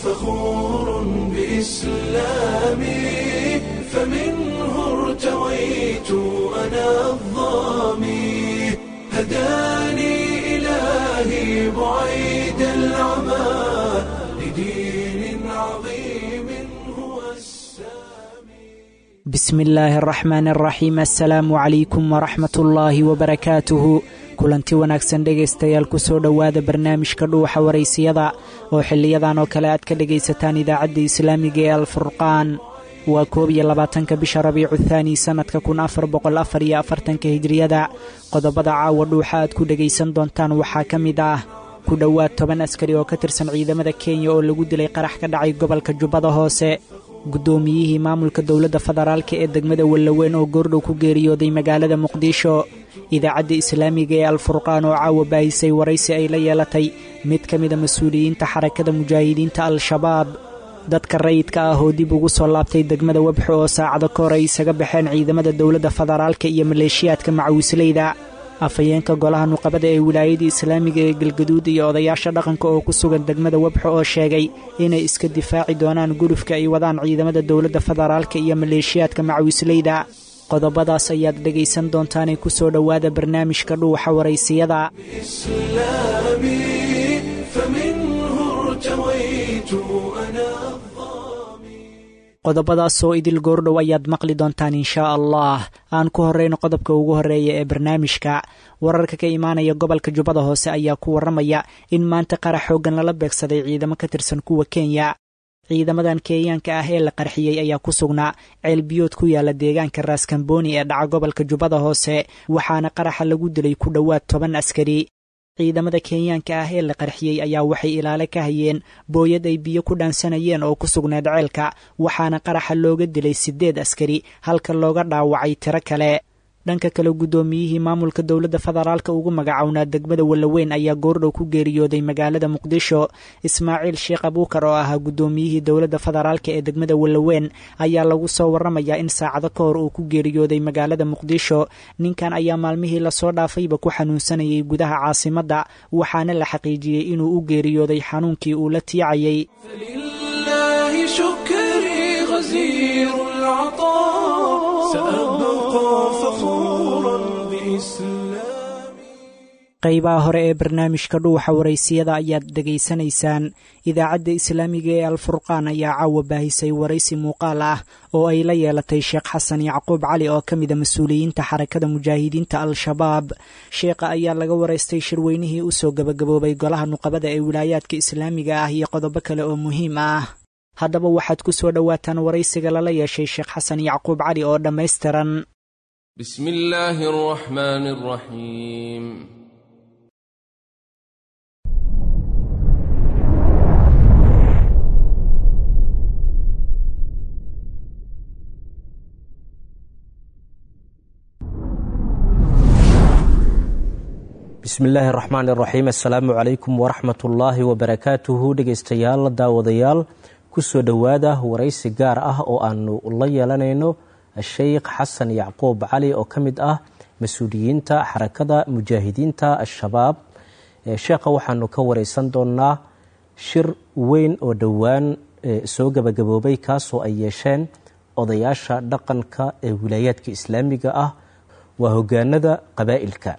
فخور بإسلامي، فمنه ارتويت أنا الظامي، هداني إلهي بعيد العمى لدين عظيم هو السامي. Bismi illaahi araxmaan araxiim. Assalaamu calaykum waraxmatullaahi wabarakaatuhu. Kulanti wanaagsan dhegaystayaal, kusoo dhowaada barnaamijka Dhuuxa Waraysiyada oo xiliyadan oo kale aad ka dhegaysataan idaacadda islaamiga ee Alfurqaan. Waa 21-ka bisha Rabiicu Thaani, sannadka 1444-ka Hijriyada. Qodobada caawa Dhuuxa aad ku dhegaysan doontaan waxaa ka mid ah ku dhowaad 10 askari oo ka tirsan ciidamada Kenya oo lagu dilay qarax ka dhacay gobolka Jubbada Hoose, guddoomiyihii maamulka dowladda federaalka ee degmada Wallaweyn oo goordhow ku geeriyooday magaalada Muqdisho, idaacadda islaamiga ee Alfurqaan oo caawa baahisay waraysi ay la yeelatay mid ka mida mas-uuliyiinta Xarakada Mujaahidiinta Al-Shabaab, dadka rayidka ah oo dib ugu soo laabtay degmada Webxo oo saacado ka hor ay isaga baxeen ciidamada dowladda federaalka iyo maleeshiyaadka macawisleyda, afhayeenka golaha nuqabada ee wilaayada islaamiga ee Galgaduud iyo odayaasha dhaqanka oo ku sugan degmada Webxo oo sheegay inay iska difaaci doonaan gulufka ay wadaan ciidamada dowladda federaalka iyo maleeshiyaadka macawisleyda. Qodobadaas ayaad dhegaysan doontaanay kusoo dhowaada barnaamijka Dhuuxa Waraysiyada. إسلامي، فمنه ارتويت أنا الظامي. Qodobadaas oo idil goordhow ayaad maqli doontaan inshaa Allah. Aan ku horreyno qodobka ugu horreeya ee barnaamijka. Wararka ka imaanaya gobolka Jubbada Hoose ayaa ku warramaya in maanta qarax xooggan lala beegsaday ciidamo ka tirsan kuwa Kenya. Ciidamadan Kenyaanka ah ee la qarxiyey ayaa ku sugnaa ceelbiyood ku yaala deegaanka Raaskamboni ee dhaca gobolka Jubbada Hoose, waxaana qaraxa lagu dilay ku dhowaad 10 askari. Ciidamada Kenyaanka ah ee la qarxiyey ayaa waxay ilaale ka hayeen booyad ay biyo ku dhaansanayeen oo ku sugnayd ceelka, waxaana qaraxa looga dilay 8 askari halka looga dhaawacay tiro kale. Dhanka kale, guddoomiyihii maamulka dowladda federaalka ugu magacownaa degmada Wallaweyn ayaa goordhow ku geeriyooday magaalada Muqdisho. Ismaaciil Sheekh Abuukar oo ahaa guddoomiyihii dowladda federaalka ee degmada Wallaweyn ayaa lagu soo warramayaa in saacado ka hor uu ku geeriyooday magaalada Muqdisho. Ninkan ayaa maalmihii lasoo dhaafayba ku xanuunsanayay gudaha caasimadda, waxaana la xaqiijiyey inuu u geeriyooday xanuunkii uu la tiicayay. فلله شكري غزير العطاء، سأبقى فخورا بإسلامي. Qaybaha hore ee barnaamijka Dhuuxa Waraysiyada ayaad dhegaysanaysaan. Idaacadda islaamiga ee Alfurqaan ayaa caawa baahisay waraysi muuqaal ah oo ay la yeelatay Sheekh Xasan Yacquub Cali oo ka mida mas-uuliyiinta Xarakada Mujaahidiinta Al-Shabaab. Sheekha ayaa laga waraystay shirweynihii usoo gabagaboobay golaha nuqabada ee wilaayaadka islaamiga ah iyo qodobo kale oo muhiim ah. Haddaba waxaad ku soo dhowaataan waraysiga lala yeeshay Sheekh Xasan Yacquub Cali oo dhammaystiran. بسم الله الرحمن الرحيم. Bismi illaahi raxmaan iraxiim. Assalaamu calaykum waraxmat ullaahi wabarakaatuhu. Dhegeystayaal, daawadayaal, kusoo dhowaada waraysi gaar ah oo aanu la yeelanayno Sheikh Xasan Yacquub Cali oo ka mid ah mas-uuliyiinta Xarakada Mujaahidiinta Al-Shabaab. Sheekha waxaanu ka wareysan doonaa shir weyn oo dhowaan soo gabagaboobay, kaasoo ay yeesheen odayaasha dhaqanka ee wilaayaadka islaamiga ah, waa hogaanada qabaa'ilka.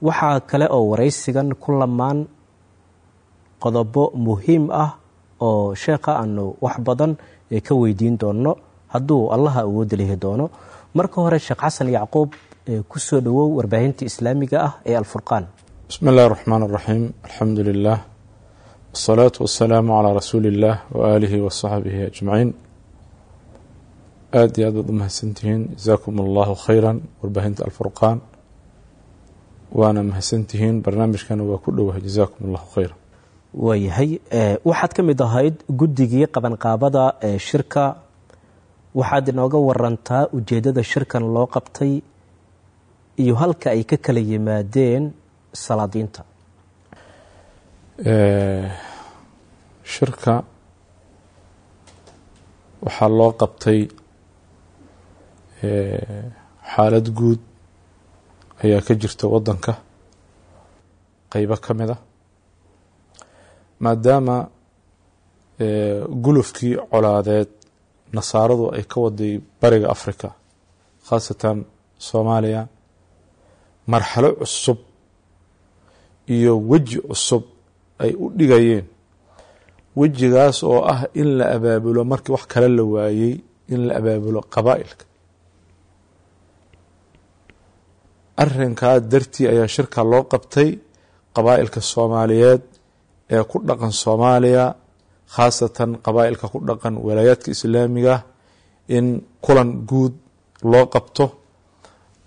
Waxaa kale oo waraysigan ku lamaan qodobo muhiim ah oo sheekha aanu wax badan ka weydiin doono hadduu Allaha awoodda lihi doono. Marka hore, Sheekh Xasan Yacquub, kusoo dhowow warbaahinta islaamiga ah ee Alfurqaan. Bismi اllahi الرaxmaan الraxiim. Alxamdu lilah wالsalaatu wasalaamu calaa rasuuli اllah waaalihi wasaxbihi ajmaciin. Aad iyo aad baad u mahadsantihiin, jasaakum allahu khayra, warbaahinta Alfurqaan waana mahadsantihiin. Barnaamijkana waa ku dhowahay, jasaakum allahu khayra. Waayahay, waxaad ka mid ahayd guddigii qabanqaabada ee shirka. Waxaad inooga warantaa ujeeddada shirkan loo qabtay iyo halka ay ka kala yimaadeen salaadiinta. Shirka waxaa loo qabtay xaalad guud ayaa ka jirta waddanka qeybo ka mid a, maadaama Gulufkii colaadeed nasaaradu ay ka waday bariga Africa, khaasatan Soomaaliya, marxalo cusub iyo weji cusub ay u dhigayeen, wejigaas oo ah in la abaabulo markii wax kale la waayey, in la abaabulo qabaa'ilka. Arrinkaa dartii ayaa shirka loo qabtay qabaa'ilka Soomaaliyeed ee ku dhaqan Soomaaliya, khaasatan qabaa'ilka ku dhaqan walaayaadka islaamiga, in kulan guud loo qabto,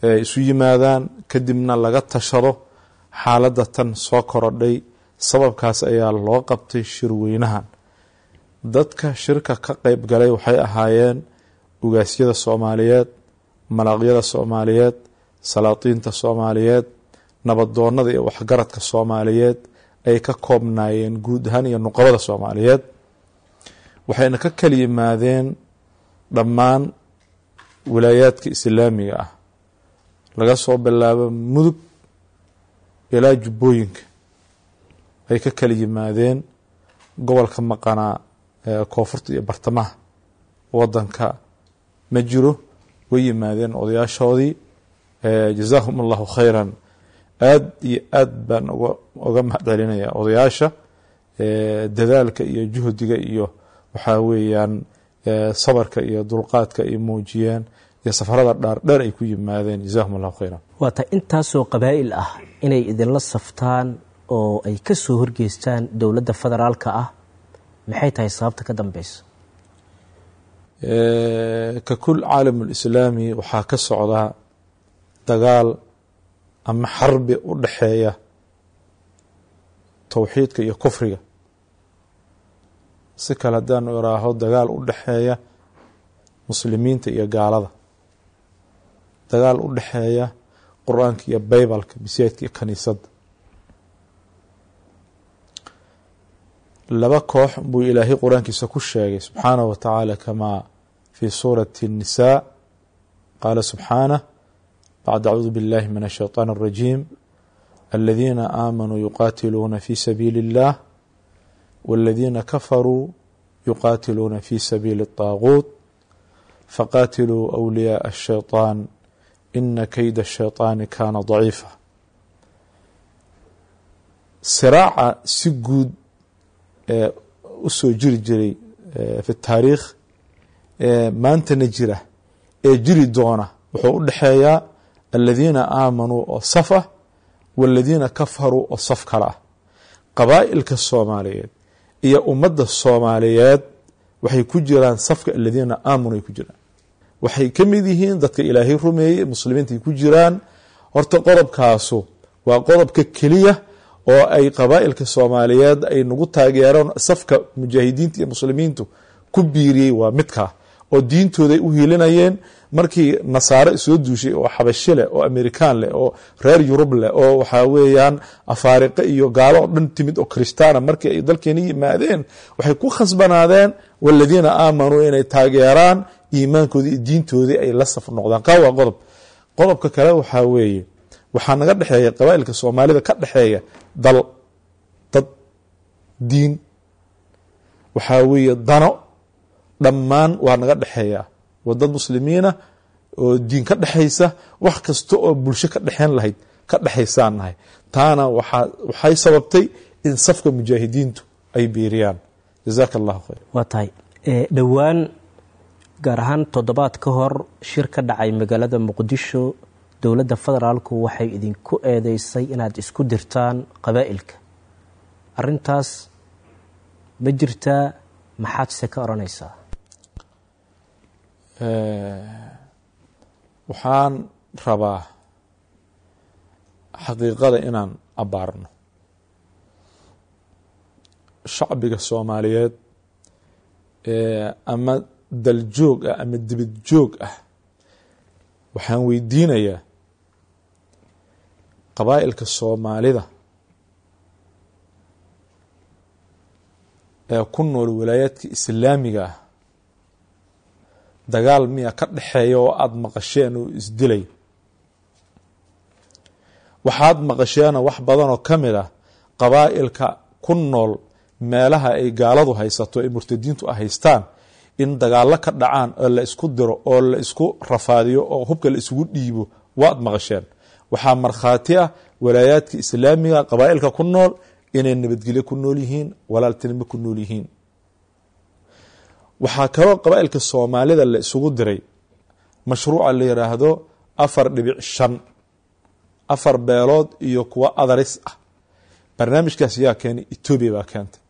ee isu yimaadaan, kadibna laga tashado xaaladda tan soo korodhay. Sababkaas ayaa loo qabtay shirweynahan. Dadka shirka ka qeyb galay waxay ahaayeen ugaasyada Soomaaliyeed, malaaqyada Soomaaliyeed, salaatiinta Soomaaliyeed, nabadoonada iyo waxgaradka Soomaaliyeed ay ka koobnaayeen guud ahaan, iyo nuqabada Soomaaliyeed. Waxayna ka kala yimaadeen dhammaan wilaayaadka islaamiga ah, laga soo bilaabo Mudug ilaa Jubbooyinka ay ka kala yimaadeen. Gobolka maqanaa koonfurta iyo bartamaha wadanka ma jiro, way yimaadeen odayaashoodii. Jazaahum Allahu khayran. Aad iyo aad baan uga mahad celinaya odayaasha dadaalka iyo juhdiga iyo waxaa weeyaan sabarka iyo dulqaadka ay muujiyeen iyo safarada dhaardheer ay ku yimaadeen. Jazaahum Allahu khayran. Waata intaasoo qabaa'il ah inay idinla saftaan oo ay ka soo horgeystaan dowladda federaalka ah, maxay tahay sababta ka dambeysa? Ka kul caalam lislaami waxaa ka socda dagaal ama xarbi u dhexeeya towxiidka iyo kufriga. Si kale haddaanu iraaho, dagaal u dhexeeya muslimiinta iyo gaalada, dagaal u dhexeeya Qur-aanka iyo Baybalka, masaajidka iyo kaniisadda. Laba koox buu Ilaahay Qur-aankiisa ku sheegay subxaanahu wa tacaala, kamaa fi suurati الnisaa qaala subxaanah bacda acuudu biاllahi min الshayطaan الrajiim: aladiina aamanuu yuqaatiluuna fi sabiili اllah, wاladiina kafaruu yuqaatiluuna fi sabiili الطaaguut, faqaatiluu أwliyaء الshayطaan, ina kayda الshayطaani kaana daciifa. Siraaca si guud u soo jiri jiray fi taariikh, maantana jira ee jiri doona, wuxuu u dhexeeyaa aladiina aamanuu oo saf ah, waladiina kafaruu oo saf kale ah. Qabaa'ilka Soomaaliyeed iyo ummadda Soomaaliyeed waxay ku jiraan safka aladiina aamanuu ay ku jiraan. Waxay ka mid yihiin dadka Ilaahay rumeeyey, muslimiinta ay ku jiraan. Horta qodobkaasu waa qodobka keliya oo ay qabaa'ilka Soomaaliyeed ay nagu taageeraan. Safka mujaahidiinta iyo muslimiintu ku biiriyey waa midkaa oo diintooday u hiilinayeen markii nasaare soo duushay, oo xabashi leh, oo Amerikaan leh, oo reer Yurub leh, oo waxaa weeyaan Afaariqe iyo gaalo oo dhan timid oo Kristaana. Markii ay dalkeena yimaadeen, waxay ku khasbanaadeen waladiina aamanuu inay taageeraan, iimaankoodii iyo diintoodii ay la saf noqdaan. Kaa waa qodob. Qodobka kale waxaa weeye, waxaa naga dhexeeya qabaa'ilka Soomaalida ka dhexeeya dal, dad, diin, waxaa weeye dano, dhammaan waa naga dhexeeya. Waa dad muslimiina oo diin ka dhexaysa, wax kasta oo bulsho ka dhexeyn lahayd ka dhexaysaan nahay. Taana waxay sababtay in safka mujaahidiintu ay biiriyaan. Jazaaka Allahu khayr. Waa tahay. Dhowaan, gaar ahaan toddobaad ka hor, shir ka dhacay magaalada Muqdisho, dowladda federaalku waxay idinku eedeysay inaad isku dirtaan qabaa'ilka. Arrintaas ma jirtaa? Maxaad se ka odhanaysaa? Waxaan rabaa xaqiiqada inaan abbaarno. Shacbiga Soomaaliyeed ama daljoog ah ama dibad joog ah, waxaan weydiinayaa qabaa'ilka Soomaalida ee ku nool walaayaadka islaamiga ah, dagaal miya ka dhexeeya oo aada maqasheen oo isdilay? Waxaad maqasheena wax badan oo ka mid ah qabaa'ilka ku nool Meelaha ay gaaladu haysato ee murtadiintu haystaan in dagaallo ka dhacaan oo la isku diro oo la isku rafaadiyo oo hubka la isugu dhiibo, waad maqasheen. Waxaa markhaati ah walaayaadka islaamiga qabaa'ilka ku nool inay nabadgelyo ku nool yihiin, walaaltinimo ku nool yihiin. Waxaa kaloo qabaa'ilka Soomaalida la isugu diray mashruuca la yidhaahdo 4.5, 4 beelood iyo kuwa adaris ah. Barnaamijkaas yaa keenay? Etoobiya baa keentay.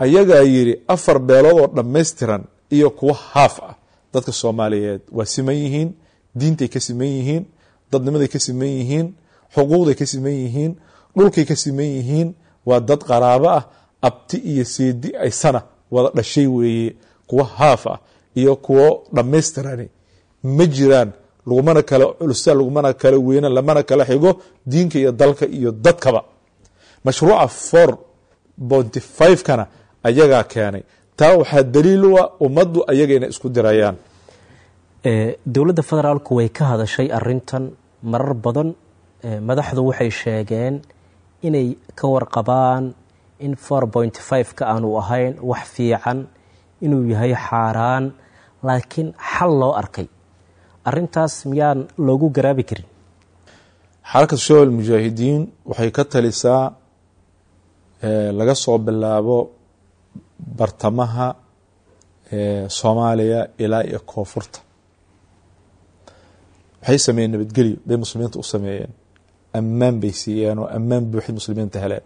Ayagaa yidhi 4 beelood oo dhammaystiran iyo kuwa haaf ah. Dadka Soomaaliyeed waa siman yihiin, diintay ka siman yihiin, dadnimaday ka siman yihiin, xuquuqday ka siman yihiin, dhulkay ka siman yihiin. Waa dad qaraabo ah, abti iyo seedi aysana wada dhashay weeye. Kuwa haaf ah iyo kuwo dhammaystirani ma jiraan, lagumana kala culusa, lagumana kala weyna, lamana kala xigo diinka iyo dalka iyo dadkaba. Mashruuca 4.5 kana ayagaa keenay. Taa waxaa daliil u ah ummaddu ayaga inay isku dirayaan. Dowladda federaalku way ka hadashay arintan marar badan. Madaxdu waxay sheegeen inay ka warqabaan in 4.5 ka aanu ahayn wax fiican, inuu yahay xaaraan, laakiin xal loo arkay. Arintaas miyaan loogu garaabi karin? Xarakatu Shabaab Almujaahidiin waxay ka talisaa laga soo bilaabo bartamaha Soomaaliya ilaa iyo koonfurta. Waxay sameeyeen nabadgelyo bay muslimiinta u sameeyeen, ammaan bay siiyeen oo ammaan buuxid muslimiinta heleen,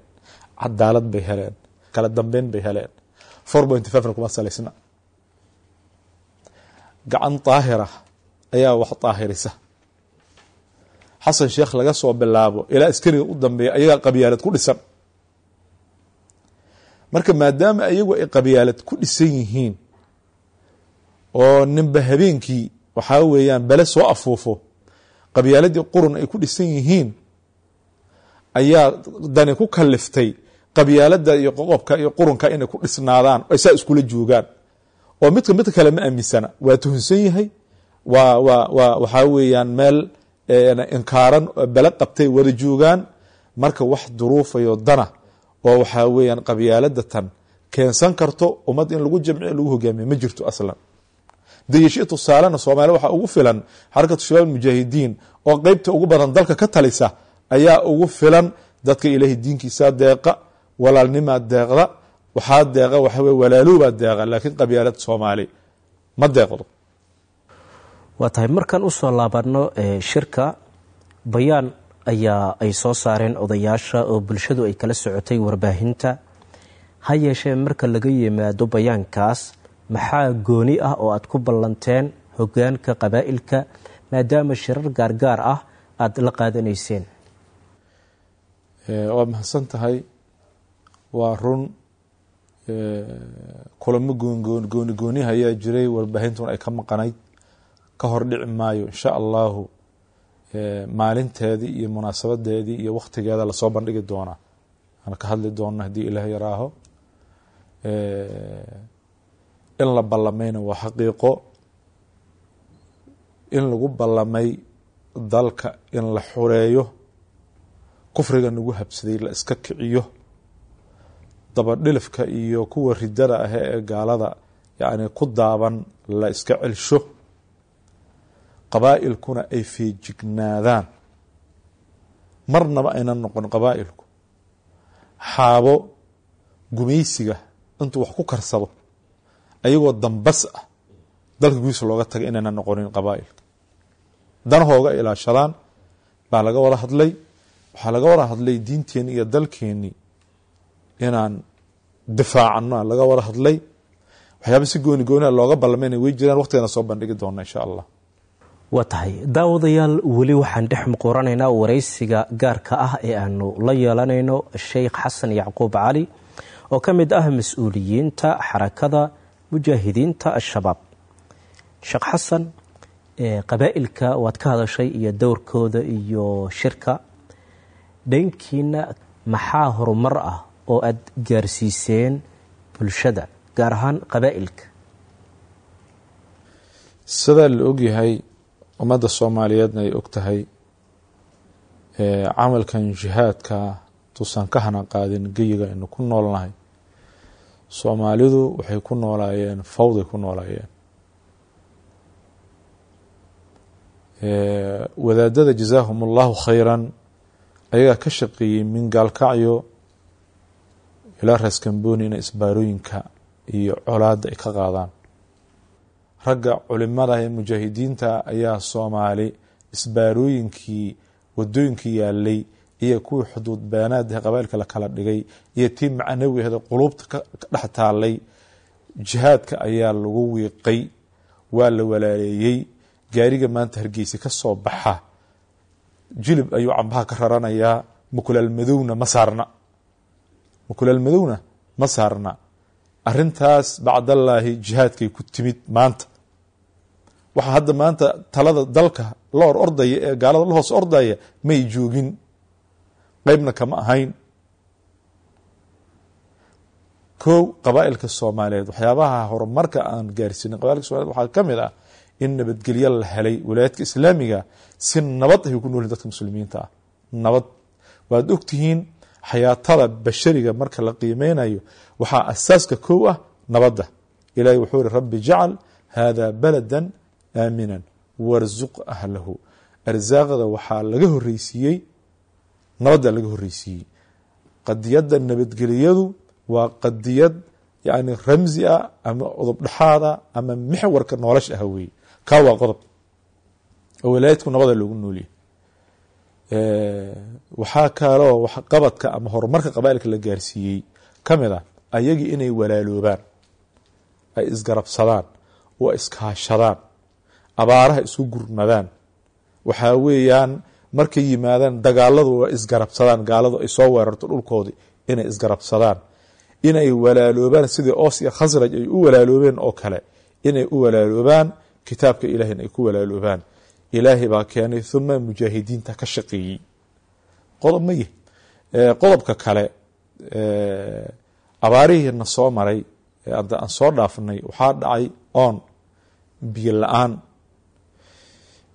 cadaalad bay heleen, kala dambeyn bay heleen. 4.5 na kuma salaysna. Gacan daahira ayaa wax daahirisa. Xasan Sheekh laga soo bilaabo ilaa askariga u dambeeya ayagaa qabyaalad ku dhisan. Marka maadaama ayagu ay qabyaalad ku dhisan yihiin oo ninba habeenkii waxaa weeyaan bale soo afuufo, qabyaaladii qurun ay ku dhisan yihiin, ayaa dani ku kaliftay qabyaalada iyo qoqobka iyo qurunka inay ku dhisnaadaan, ay saa iskula joogaan, oo midka midka kale ma aaminsana, waa tuhunsan yahay. Waa waxaa weeyaan meel inkaaran bale qabtay wada joogaan. Marka wax duruufayo dana oo waxaa weeyaan qabyaalada tan keensan karto ummad in lagu jamciyo, lagu hogaamiyo, ma jirto aslan. Dayasho tusaalena Soomaaliya waxaa ugu filan Xarakatu Shabaab Mujaahidiin oo qeybta ugu badan dalka ka talisa ayaa ugu filan. Dadka Ilaahay diinkiisaa deeqa, walaalnimaa deeqda, waxaa deeqa waxa weye walaalowbaa deeqa, laakiin qabyaalad Soomaali ma deeqdo. Waa tahay. Markaan usoo laabano shirka, bayaan ayaa ay soo saareen odayaasha oo bulshadu ay kala socotay warbaahinta. Ha yeeshee, marka laga yimaado bayaankaas, maxaa gooni ah oo aad ku ballanteen hogaanka qabaa'ilka, maadaama shirar gaargaar ah aada la qaadanayseen? Waa mahadsan tahay. Waa run, kulamo goongoon gooni gooniha ayaa jiray, warbaahintuna ay ka maqanayd. Ka hor dhici maayo, insha Allahu maalinteedii iyo munaasabadeedii iyo waktigeeda lasoo bandhigi doonaa, aan ka hadli doona haddii Ilaah yaraaho. In la ballamayna waa xaqiiqo, in lagu ballamay dalka in la xureeyo, kufriga nagu habsaday la iska kiciyo, dabadhilifka iyo kuwa ridada ah ee gaalada yacni ku daaban la iska celsho, qabaa'ilkuna ay feejignaadaan, marnaba aynan noqon qabaa'ilku xaabo gumaysiga intuu wax ku karsado ayagoo dambas ah dalka gudiisa looga tagay, inaynan noqonin qabaa'ilka, danahooga ilaashadaan baa laga wada hadlay. Waxaa laga wada hadlay diinteenni iyo dalkeenni inaan difaacano laga wada hadlay. Waxyaaba si gooni gooniha looga ballamayna way jiraan, waqtigana soo bandhigi doona, insha Allah. Waa tahay. Daawadayaal, weli waxaan dhex muquuranaynaa waraysiga gaarka ah ee aanu la yeelanayno Sheikh Xasan Yacquub Cali oo ka mid ah mas-uuliyiinta Xarakada Mujaahidiinta Al-Shabaab. Sheekh Xasan, qabaa'ilka waad ka hadashay iyo dowrkooda iyo shirka. Dhankiina maxaa horumar ah oo aad gaarsiiseen bulshada, gaar ahaan qabaa'ilka? Sidaa la ogyahay, ummadda Soomaaliyeedna ay og tahay, camalkan jihaadka tuusan ka hana qaadin geyiga aynu ku noolnahay. Soomaalidu waxay ku noolaayeen fawday ku noolaayeen. Wadaadada jazaahum allahu khayran ayagaa ka shaqeeyey min Gaalkacyo ilaa Raaskambooni inay isbaarooyinka iyo colaadda ay ka qaadaan. Ragga culimada ee mujaahidiinta ayaa Soomaali isbaarooyinkii wadooyinkii yaalay iyo kuwii xuduud beenaadahe qabailka la kala dhigay iyo tii macnawiheeda quluubta ka dhex taalay, jihaadka ayaa lagu wiiqay, waa la walaaleeyey. Gaariga maanta Hargeysa ka soo baxa Jilib ayuu cambaha ka raranayaa, mukulaal madowna ma saarna, mukulaal madowna ma saarna. Arrintaas bacdallaahi jihaadkay ku timid. Maanta waxaa hadda maanta talada dalka la or ordaya ee gaalada la hoos ordaya may joogin, qeybna kama ahayn. Kow, qabaa'ilka Soomaaliyeed waxyaabaha horumarka aan gaarsiinin qabailka Somaliyed waxaa ka mid ah in nabadgelyo la helay. Walaayaadka islaamiga si nabad ay ku noolyihin dadka muslimiinta ah, nabad. Waad ogtihiin xayaatada bashariga marka la qiimeynayo waxaa asaaska kow ah nabadda. Ilahay wuxuu iri rabbi jacl hada baladan aaminan warzuq ahlahu. Arsaaqda waxaa laga horreysiiyey nabadda laga horreysiiyey. Qadiyadda nabadgeliyadu waa qadiyad yani ramzi ah ama qodob dhexaada ama mixwarka nolosha ah weeye. Kaa waa qodob oo walaayadku nabada loogu nooliyey. Waxaa kaloo waxqabadka ama horumarka qabaa'ilka la gaarsiiyey ka mid ah ayagii inay walaaloobaan, ay isgarabsadaan oo iskaashadaan, abaaraha isku gurmadaan. Waxaa weeyaan markay yimaadaan dagaaladu waa isgarabsadaan, gaaladu ay soo weerarto dhulkoodii inay isgarabsadaan, inay walaaloobaan sidii Oos iyo Khasraj ay u walaaloobeen oo kale, inay u walaaloobaan kitaabka Ilahina ay ku walaaloobaan. Ilaahay baa keenay, uma mujaahidiinta ka shaqeeyey. Qodob ma yihi. Qodobka kale, abaarihiina soo maray hadda aan soo dhaafnay, waxaa dhacay oon, biyo la-aan.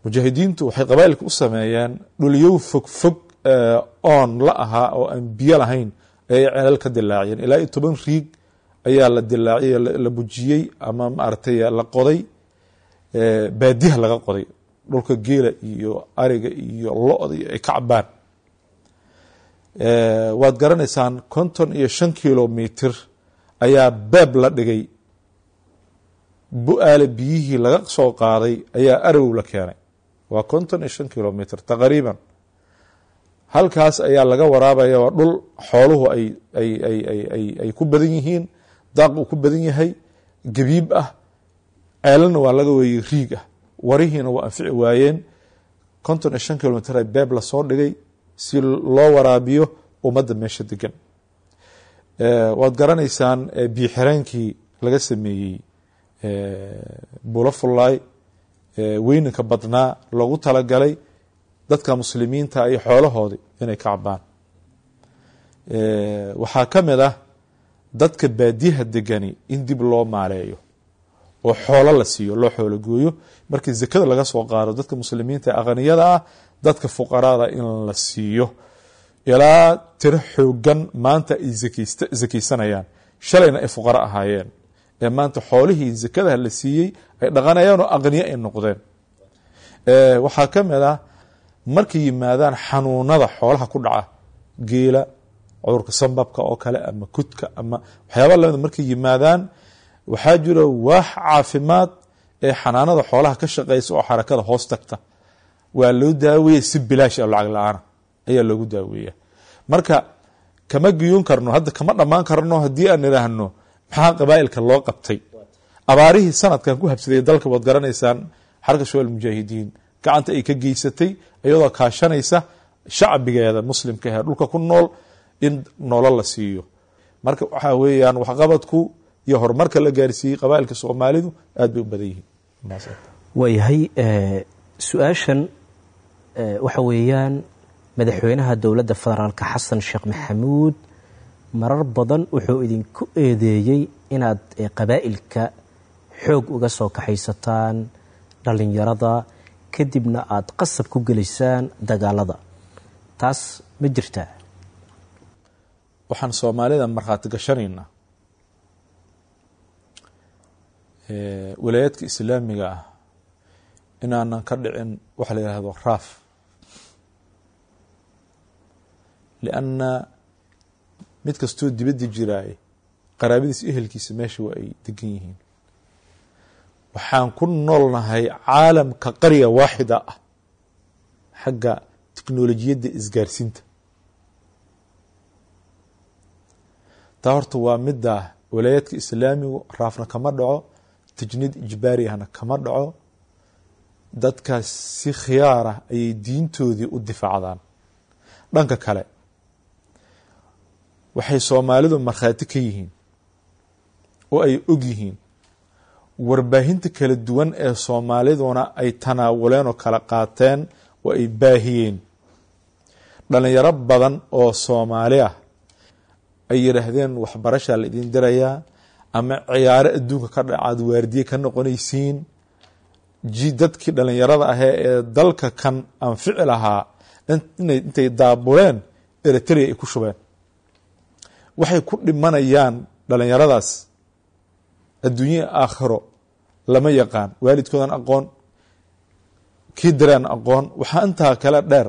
Mujaahidiintu waxay qabaa'ilka u sameeyeen dhulyow fog fog oon la ahaa oo aan biyo lahayn ayay celal ka dilaaciyeen. Ilaa iyo 10 riig ayaa la dilaaciyey, la bujiyey ama maaragtay la qoday, baadiyaha laga qoday, dhulka geela iyo ariga iyo lo-da iyo ay ka cabaan. Waad garanaysaan 55 kilomitr ayaa beeb la dhigay, Bu-aale biyihii laga soo qaaday ayaa Arow la keenay. Waa 55 kilomitr taqriiban. Halkaas ayaa laga waraabaya. Waa dhul xooluhu ay ay ay ay ay ay ku badan yihiin, daaq uu ku badan yahay, gabiib ah, ceelana waa laga weeyey riig ah, warihiina waa anfici waayeen. 55 kilomitr ay beeb lasoo dhigay si loo waraabiyo ummadda meesha degan. Waad garanaysaan biyo xireenkii laga sameeyey Buulafullaay, weyninka badnaa loogu talagalay dadka muslimiinta iyo xoolahoodii inay ka cabaan. Waxaa ka mid ah dadka baadiyaha degani in dib loo maaleeyo oo xoolo la siiyo, loo xoolo gooyo. Markii zakada laga soo qaado dadka muslimiinta ee aqniyada ah, dadka fuqarada in la siiyo, ilaa tiro xoogan maanta ay zakaysanayaan, shalayna ay fuqaro ahaayeen, ee maanta xoolihii zakadaha la siiyey ay dhaqanayaan oo aqniye ay noqdeen. Waxaa ka mid ah markay yimaadaan xanuunada xoolaha ku dhaca, geela cudurka sambabka oo kale ama kudka ama waxyaaba lamida markay yimaadaan, waxaa jira waax caafimaad ee xanaanada xoolaha ka shaqeysa oo xarakada hoos tagta. Waa loo daaweeya si bilaash ah, lacag la-aana ayaa loogu daaweeya. Marka kama giyuun karno hadda, kama dhammaan karno haddii aan idhaahno maxaa qabaa'ilka loo qabtay. Abaarihii sanadkan ku habsaday dalka waad garanaysaan, Xarka Shabaab Mujaahidiin gacanta ay ka geysatay iyadoo kaashanaysa shacbigeeda muslimka ee dhulka ku nool in nolol la siiyo. Marka waxaa weeyaan waxqabadku iyo horumarka la gaarsiiyey qabaa'ilka Soomaalidu aad bay u badan yihiin. Waayahay, su-aashan waxa weeyaan madaxweynaha dowladda federaalka Xasan Sheekh Maxamuud marar badan wuxuu idinku eedeeyey inaad qabaa'ilka xoog uga soo kaxaysataan dhallinyarada, kadibna aada qasab ku gelisaan dagaalada. Taas ma jirtaa? Waxaan Soomaalida markhaati gashanaynaa Walaayaadka islaamiga ah inaanan ka dhicin waxa la yihahdo raaf, lianna mid kastoo dibadda jiraay qaraabadiisa ehelkiisa meesha waa ay degan yihiin. Waxaan ku noolnahay caalamka qarya waaxida ah xagga teknolojiyadda isgaarsiinta. Taa horta waa midda walaayaadka islaamigu raafna kama dhaco, tajniid ijbaari ahna kama dhaco. Dadkaas si khiyaarah ayay diintoodii u difaacdaan. Dhanka kale waxay soomaalidu markhaati ka yihiin oo ay og yihiin warbaahinta kala duwan ee soomaaliduna ay tanaawuleen oo kala qaateen oo ay baahiyeen. Dhalinyaro badan oo soomaali ah ay yidhaahdeen waxbarashaa la idin dirayaa ama ciyaaro adduunka ka dhacaad waardiye ka noqonaysiin. Dadkii dhalinyarada ahee ee dalka kan anfici lahaa intay daabuleen Eritrea ay ku shubeen. Waxay ku dhimanayaan dhalinyaradaas adduunye aakhiro lama yaqaan, waalidkoodan aqoon, kii direen aqoon. Waxaa intaa kale dheer,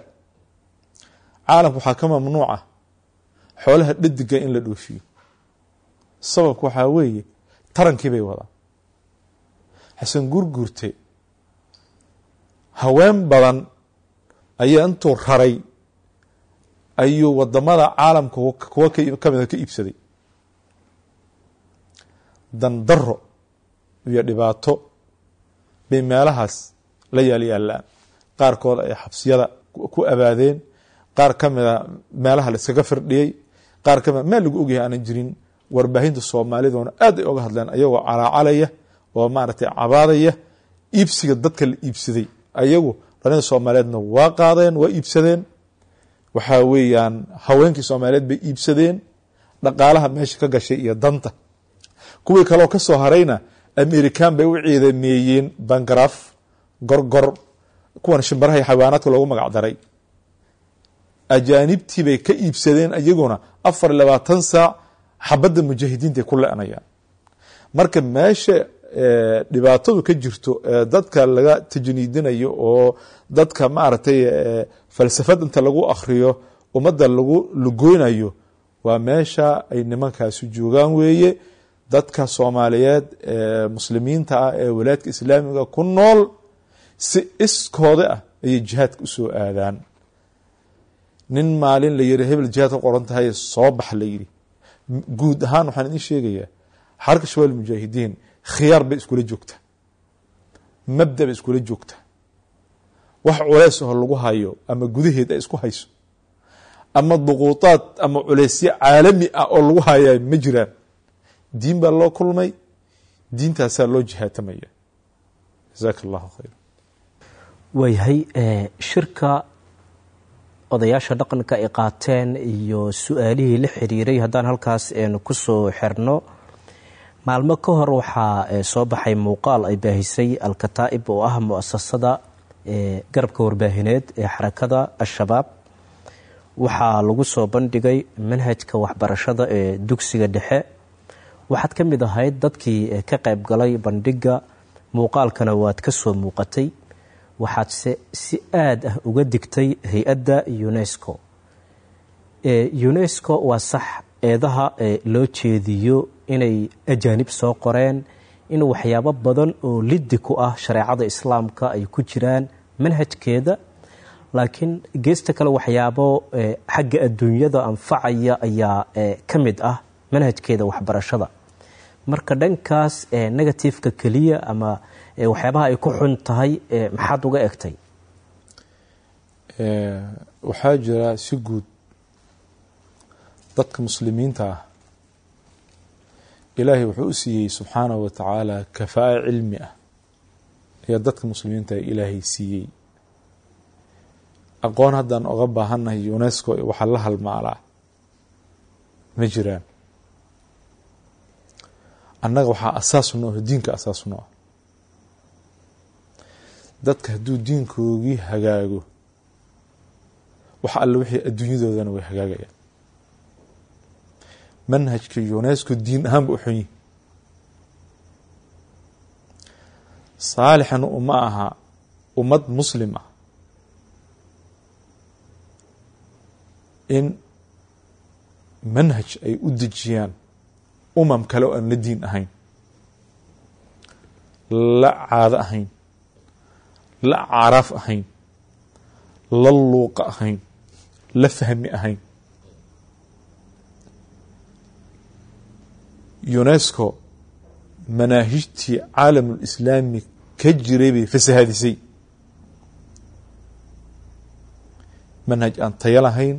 caalamka waxaa ka mamnuuca xoolaha dhadiga in la dhoofiyo. Sababka waxaa weeye tarankii bay wadaan. Xasan Gurgurte haween badan ayaa intuu raray ayuu wadamada caalamka kuwa kamida ka iibsaday. Dandaro iyo dhibaato bay meelahaas la yaalyaalaan. Qaarkood ay xabsiyada ku abaadeen, qaar ka mida meelaha la iskaga firdhiyey, qaar ka mida meel lagu ogyahay aanan jirin. Warbaahinta soomaaliduna aad ay oga hadleen ayagoo calaacalaya oo maaragtay cabaadaya iibsiga dadka la iibsaday. Ayagu dhalinta soomaaliyeedna waa qaadeen, waa iibsadeen. Waxaa weeyaan haweenkii soomaaliyeed bay iibsadeen, dhaqaalaha meesha ka gashay iyo danta. Kuwii kaleo ka soo harayna amerikan bay u ciidameeyeen, bangaraaf, gorgor, kuwan shimbaraha iyo xayawaanaadka loogu magac daray. Ajaanibtii bay ka iibsadeen iyaguna 24 saac xabadda mujaahidiinta ay ku le-anayaan. Marka meesha dhibaatadu ka jirto dadka laga tajniidinayo oo dadka maaragtay falsafad inta lagu akhriyo ummadda lagu lugoynayo waa meesha ay nimankaasu joogaan weeye. Dadka soomaaliyeed ee muslimiinta ah ee walaadka islaamiga ku nool si iskooda ah ayay jihaadka usoo aadaan. Nin maalin la yiri hebel jihaad ka qoran tahay soo bax la yiri, guud ahaan waxaan idin sheegayaa xarka Shabaab Mujaahidiin khiyaar bay iskula joogtaa, mabda bay iskula joogtaa. Wax culays oo lagu hayo ama gudaheed ay isku hayso ama duquutaad ama culaysyo caalami ah oo lagu hayaa ma jiraan. Diin baa loo kulmay, diintaasaa loo jihaatamaya. Jazaaka allahu khayr. Waayahay, shirka odayaasha dhaqanka ay qaateen iyo su-aalihii la xiriiray haddaan halkaas ku soo xirno. Maalmo ka hor waxaa soo baxay muuqaal ay baahisay Al-Kataa'ib oo ah muasasada garabka warbaahineed ee xarakada Al-Shabaab. Waxaa lagu soo bandhigay manhajka waxbarashada ee dugsiga dhexe. Waxaad ka mid ahayd dadkii ka qayb galay bandhigga, muuqaalkana waad ka soo muuqatay. Waxaadse si aad ah uga digtay hay-adda UNESCO. UNESCO waa sax eedaha loo jeediyo inay ajaanib soo qoreen, in waxyaabo badan oo liddi ku ah shareecada islaamka ay ku jiraan manhajkeeda, laakiin geesta kale waxyaabo xagga adduunyada anfacaya ayaa ka mid ah manhajkeeda waxbarashada. Marka dhankaas negatifeka keliya ama waxyaabaha ay ku xun tahay maxaad uga egtay? Waxaa jira si guud dadka muslimiinta ah ilaahay wuxuu u siiyey subxaanahu wa tacaala kafaa'e cilmi ah ayaa dadka muslimiinta ilaahay siiyey. Aqoon haddaan oga baahannahay UNESCO waxaa la halmaalaa ma jiraan. Annaga waxaa asaas noo ah diinka, asaas noo ah. Dadka hadduu diinkoogii hagaago wax alle wixii adduunyadoodana way hagaagayaan. Manhajka UNESCO diin ahaan ba u xun yihi. Saalixna uma aha ummad muslim ah in manhaj ay u dejiyaan umam kale oo aan la diin ahayn, la caado ahayn, la caraaf ahayn, la luuqa ahayn, la fahmi ahayn. UNESCO manaahijtii caalamulislaami ka jiray bay fasahadisay. Manhaj aan tayo lahayn,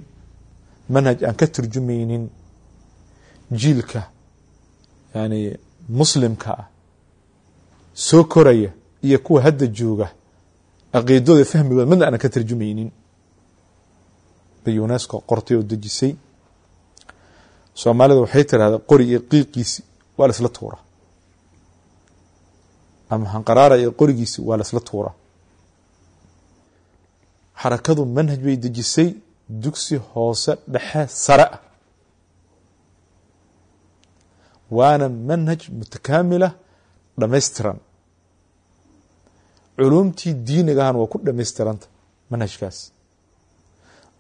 manhaj aan ka turjumaynin jiilka yani muslimka ah soo koraya iyo kuwa hadda jooga caqiidadooda fahmigooda midna aanan ka tarjumaynin bay UNESCO qortay oo dejisay. Soomaalida waxay tirahdaa qori iyo qiiqiisi waa la isla tuura, ama hanqaraara iyo qorigiisi waa la isla tuura. Xarakadu manhaj bay dejisay dugsi hoose dhexe sare ah, waana manhaj mutakaamilah dhamaystiran. Culuumtii diiniga ahaana waa ku dhamaystiranta manhajkaas,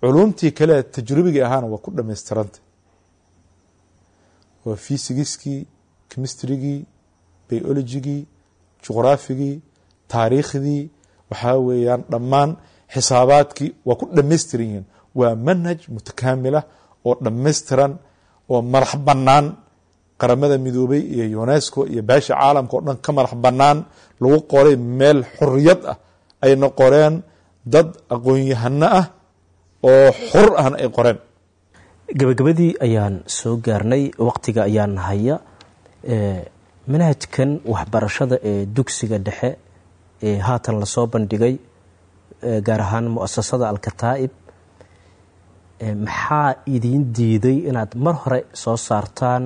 culuumtii kale tajribiga ahaana waa ku dhamaystiranta, waa fysigiskii, chemistrygii, biologigii, juqraafigii, taariikhdii, waxaa weeyaan dhammaan xisaabaadkii waa ku dhamaystiran yihiin. Waa manhaj mutakaamilah oo dhamaystiran oo madax bannaan, Qaramada Midoobay iyo UNESCO iyo baasha caalamka oo dhan ka madax bannaan, lagu qoray meel xorriyad ah, ayna qoreen dad aqoon-yahano ah oo xur ahna ay qoreen. Gabagabadii ayaan soo gaarnay, waqtiga ayaan haya. Manhajkan waxbarashada ee dugsiga dhexe ee haatan lasoo bandhigay, gaar ahaan muasasada Alkataa'ib, maxaa idiin diiday inaad mar hore soo saartaan?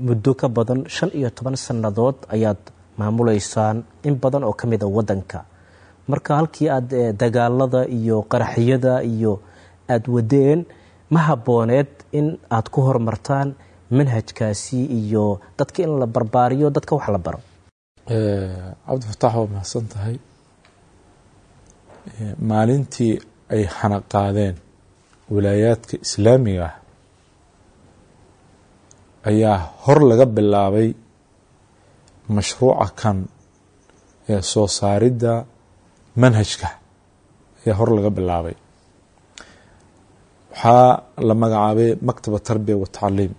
Muddo ka badan 15 sannadood ayaad maamuleysaan in badan oo ka mid a waddanka. Marka halkii aad dagaalada iyo qaraxyada iyo aada wadeen, ma habbooneed in aad ku horumartaan manhajkaasi iyo dadka in la barbaariyo, dadka wax la baro? Cabdifataax, waa mahadsan tahay. Maalintii ay xana qaadeen wilaayaadka islaamiga ah ayaa hor laga bilaabay mashruuca kan ee soo saaridda manhajka ayaa hor laga bilaabay. Waxaa la magacaabay Maktaba Tarbiya wa Tacliim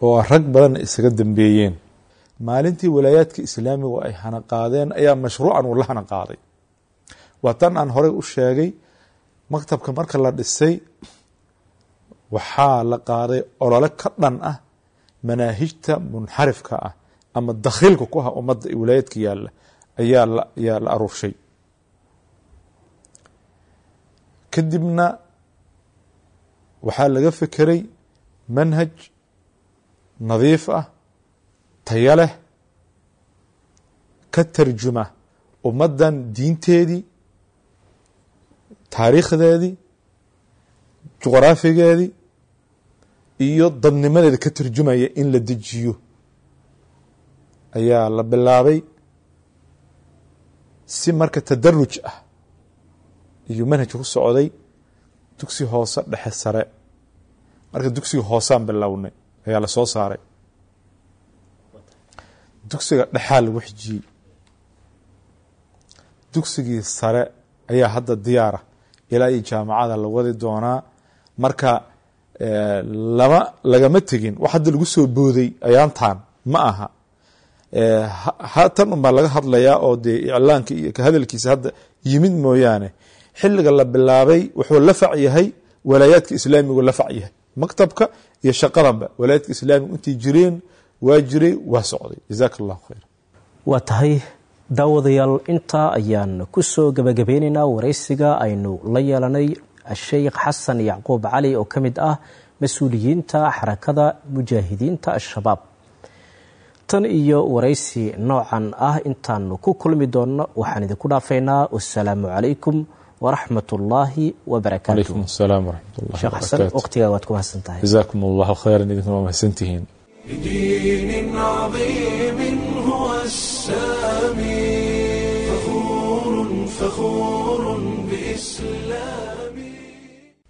oo rag badanna isaga dambeeyeen. Maalintii walaayaadka islaamigu ay hana qaadeen ayaa mashruucan uu la hana qaaday. Waa tan aan horey u sheegay, maktabka marka la dhisay waxaa la qaaday olole ka dhan ah manaahijta munxarifka ah ama dakhiilka ku ah ummadda ee walaayaadka yaalla ayaa la aruurshay. Kadibna waxaa laga fekeray manhaj nadiif ah, tayo leh, ka tarjuma ummaddan diinteedii, taariikhdeedii, juqraafigeedii iyo dadnimadeeda ka tarjumaya in la dejiyo ayaa la bilaabay. Si marka tadaruj ah iyo manhajka ku socday dugsi hoose dhexe sare. Marka dugsiga hoosaan bilownay ayaa la soo saaray, dugsiga dhexaa lagu xijiyey, dugsigii sare ayaa hadda diyaara, ilaa iyo jaamacada la wadi doonaa. Marka lama lagama tegin wax hadda lagu soo booday ayaantan ma aha. Tan unbaa laga hadlayaa oo dee iclaanka iyo ka hadalkiisa hadda yimid mooyaane, xilliga la bilaabay wuxuu la fac yahay walaayaadka islaamigu la fac yahay, maktabka iyo shaqadanba walaayaadka islaamigu intay jireen waa jiray, waa socday. Jazaaka allahu khayr. Waa tahay daawadayaal, intaa ayaan ku soo gabagabeynaynaa waraysiga aynu la yeelanay Sheikh Xasan Yacquub Cali oo ka mid ah mas-uuliyiinta Xarakada Mujaahidiinta Al-Shabaab. Tan iyo waraysi noocan ah intaanu ku kulmi doonno, waxaan idinku dhaafaynaa wasalaamu calaykum waraxmat ullaahi wabarakaatu. Calaykum asalaam waraxmat ullahi Sheekh Xasan, wabarakaatu. Waqtigaa waad ku mahadsan tahay. Jazaakum allahu khayran, idinkuna waa mahadsantihiin. لدين عظيم هو السامي فخور فخور بإسلامي.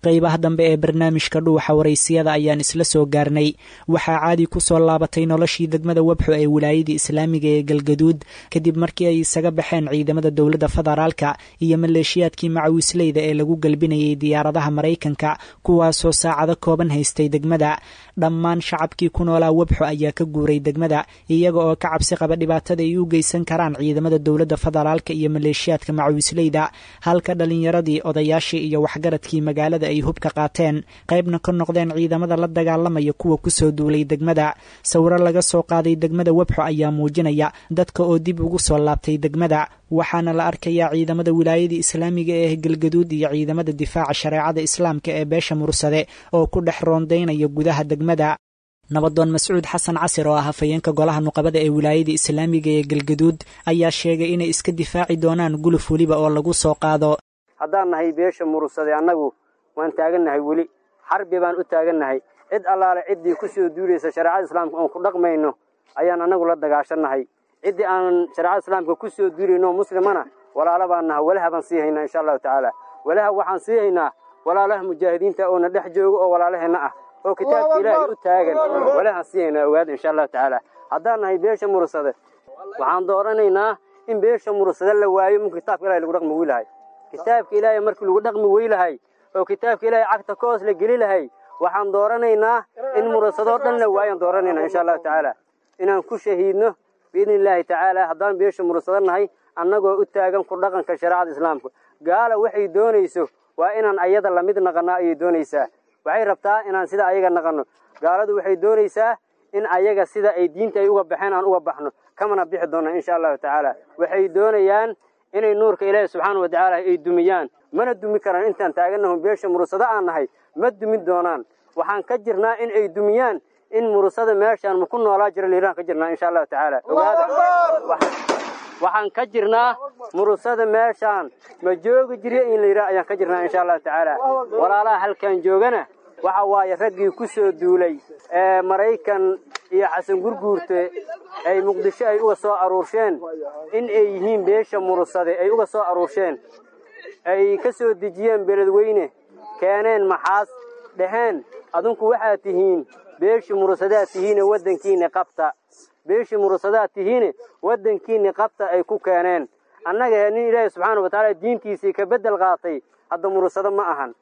Qaybaha dambe ee barnaamijka Dhuuxa Waraysiyada ayaan isla soo gaarnay. Waxaa caadi ku soo laabatay noloshii degmada Webxo ee wilaayadii islaamiga ee Galgaduud, kadib markii ay isaga baxeen ciidamada dowladda federaalka iyo maleeshiyaadkii macawisleyda ee lagu galbinayay diyaaradaha Maraykanka, kuwaasoo saacado kooban haystay degmada. Dhammaan shacabkii ku noolaa Webxo ayaa ka guuray degmada, iyaga oo ka cabsi qaba dhibaatada ay u geysan karaan ciidamada dowladda federaalka iyo maleeshiyaadka macawisleyda, halka dhalinyaradii, odayaashii iyo waxgaradkii magaalada ay hubka qaateen, qaybna ka noqdeen ciidamada la dagaalamaya kuwa kusoo duulay degmada. Sawiro laga soo qaaday degmada Webxo ayaa muujinaya dadka oo dib ugu soo laabtay degmada, waxaana la arkayaa ciidamada wilaayada islaamiga ee Galgaduud iyo ciidamada difaaca shareecada islaamka ee beesha Mursade oo ku dhex roondaynaya gudaha degmada. Nabadoon Mascuud Xasan Casir oo ah hafayeenka golaha nuqabada ee wilaayada islaamiga ee Galgaduud ayaa sheegay inay iska difaaci doonaan guluf weliba oo lagu soo qaado. Haddaan nahay beesha Mursade, annagu waan taagannahay, weli xarbi baan u taagannahay. Cid allaale ciddii ku soo duulaysa shareecada islaamka oon ku dhaqmayno ayaan annagu la dagaashannahay. Ciddii aanan shareecada islaamka ku soo duulayno muslimana walaalo baan naha, walaha baan sii haynaa insha Allahu tacaala. Walaha waxaan sii haynaa walaalaha mujaahidiinta oona dhex jooga oo walaalaheenna ah oo kitaabka Ilaahay u taagan, walahaan sii haynaa, ogaada, insha Allahu tacaala. Haddaan nahay beesha Mursade, waxaan dooranaynaa in beesha Mursade la waayo marka kitaabka Ilaahay lagu dhaqmi weylahay. Kitaabka Ilaahay markii lagu dhaqmi weylahay oo kitaabka Ilaahay cagta ka hoos la geli lahay, waxaan dooranaynaa in murasadoo dhan la waayaan dooranaynaa insha Allahu tacaala, inaan ku shahiidno biidni illaahi tacaala. Haddaan beesha mursado nahay, annagoo u taagan ku dhaqanka shareecada islaamka, gaala waxay doonayso waa inaan ayada lamid naqanaa ayay doonaysaa. Waxay rabtaa inaan sida ayaga naqanno. Gaaladu waxay doonaysaa in ayaga sida ay diinta ay uga baxeen aan uga baxno, kamana bixi doona insha Allahu tacaala. Waxay doonayaan inay nuurka Ilaahi subxaana wa tacaala ay dumiyaan, mana dumi karaan. Intaan taagannaho beesha mursado aan nahay, ma dumin doonaan. Waxaan ka jirnaa in ay dumiyaan in mursada meeshaan ma ku noolaa jira liiraan ka jirnaa insha Allahu tacaala. Ogaada, waxaan ka jirnaa mursada meeshaan ma joogi jira in la yidhaah ayaan ka jirnaa insha Allahu tacaala. Walaalaha halkan joogana waxa waaye raggii ku soo duulay ee Maraykan iyo Xasan Gurguurte ay Muqdisho ay uga soo aruursheen in ay yihiin beesha Mursade, ay uga soo aruursheen, ay ka soo dejiyeen Beledweyne, keeneen Maxaas, dhaheen adinku waxaad tihiin beeshii Mursadaad tihiine waddankiina qabta, beeshii Mursadaad tihiine waddankiina qabta ay ku keeneen. Annaga nin Ilaahay subxaana wa tacaala diintiisii ka beddel qaatay hadda mursado ma ahan.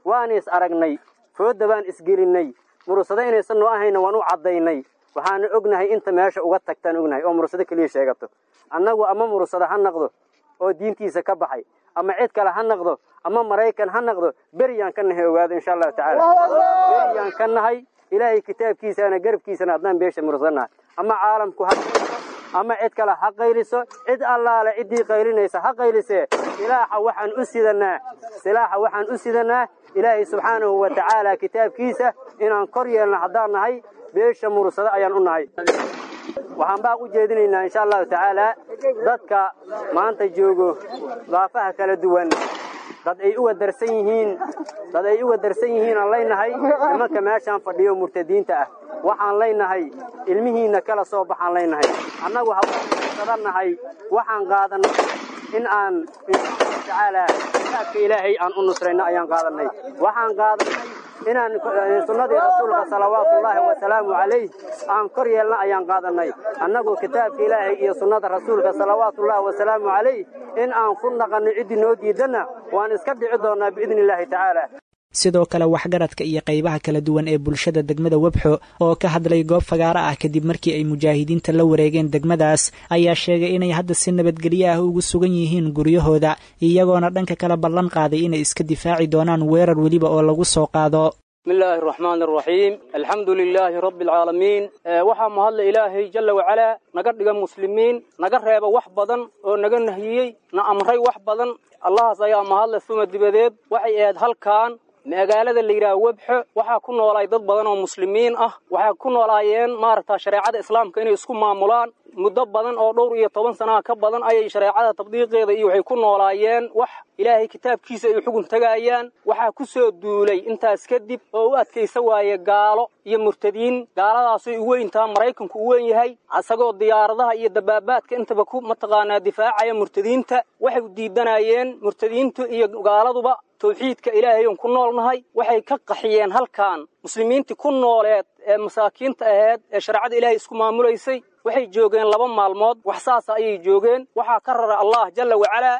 Waan is aragnay, foodda baan isgelinnay, mursado inaysan noo ahayna waan u caddaynay. Waxaana ognahay inta meesha uga tagtaan ognahay oo mursado keliya sheegato. Annagu ama mursado ha noqdo oo diintiisa ka baxay, ama cid kale ha noqdo, ama Maraykan ha noqdo, beriyaan ka nahay, ogaado, insha Allahu tacaala. Beriyaan ka nahay Ilaahay kitaabkiisana garabkiisana haddaan beesha mursanahay. Ama caalamku ha ama cid kale ha qayliso, cid allaale ciddii qaylinaysa ha qaylisee, silaaxa waxaan u sidanaa, silaaxa waxaan u sidanaa Ilaahay subxaanahu wa tacaala kitaabkiisa inaan kor yeelno. Haddaan nahay beesha Mursado ayaan u nahay. Waxaan baaq u jeedinaynaa insha Allahu tacaala dadka maanta joogo daafaha kala duwan, dad ay uga darsan yihiin, dad ay uga darsan yihiin aan leynahay nimanka meeshaan fadhiyo murtadiinta ah. Waxaan leynahay ilmihiinna kala soo baxaan leynahay. Annagu habadannahay, waxaan qaadanay in aan insha Allahu tacaala kitaabka Ilaahay aan u nusrayno ayaan qaadanay. Waxaan qaadanay inaan sunnadii rasuulka salawaatullaahi wasalaamu calayh aan kor yeelna ayaan qaadanay. Annagu kitaabka Ilaahay iyo sunnada rasuulka salawaatullaahi wasalaamu calayh in aan ku naqanno, ciddii noo diidanna waan iska dhici doonnaa biidni illaahi tacaala. Sidoo kale waxgaradka iyo qaybaha kala duwan ee bulshada degmada Webxo oo ka hadlay goob fagaaro ah kadib markii ay mujaahidiinta la wareegeen degmadaas ayaa sheegay inay hadda si nabadgelyo ah ugu sugan yihiin guryahooda, iyagoona dhanka kala ballan qaaday inay iska difaaci doonaan weerar weliba oo lagu soo qaado. بسم الله الرحمن الرحيم، الحمد لله رب العالمين. Waxaa mahadle Ilaahay jalla wacalaa naga dhiga muslimiin, naga reeba wax badan oo naga nahiyey, na amray wax badan. Allahaas ayaa mahadle. Suma dibadeed, waxay ahayd halkan magaalada la yidhaha Webxo waxaa ku noolaay dad badan oo muslimiin ah. Waxay ku noolaayeen maaragta shareecada islaamka inay isku maamulaan. Muddo badan oo dhowr iyo toban sanaha ka badan ayay shareecada tabdiiqeeda iyo waxay ku noolaayeen wax Ilaahay kitaabkiisa ay xugun tagayaan. Waxaa ku soo duulay intaas kadib oo u adkaysa waaye gaalo iyo murtadiin. Gaaladaasay u weyntaa Maraykanku u weyn yahay, asagoo diyaaradaha iyo dabaabaadka intaba ku mataqaanaa difaacaya murtadiinta. Waxay diidanayeen murtadiintu iyo gaaladuba tawxiidka Ilaahay oon ku noolnahay. Waxay ka qaxiyeen halkan muslimiintii ku nooleed ee masaakiinta ahayd ee shareecada Ilaahay isku maamulaysay. Waxay joogeen 2 maalmood wax saas ayay joogeen. Waxaa ka rara Allah jalla wa ala.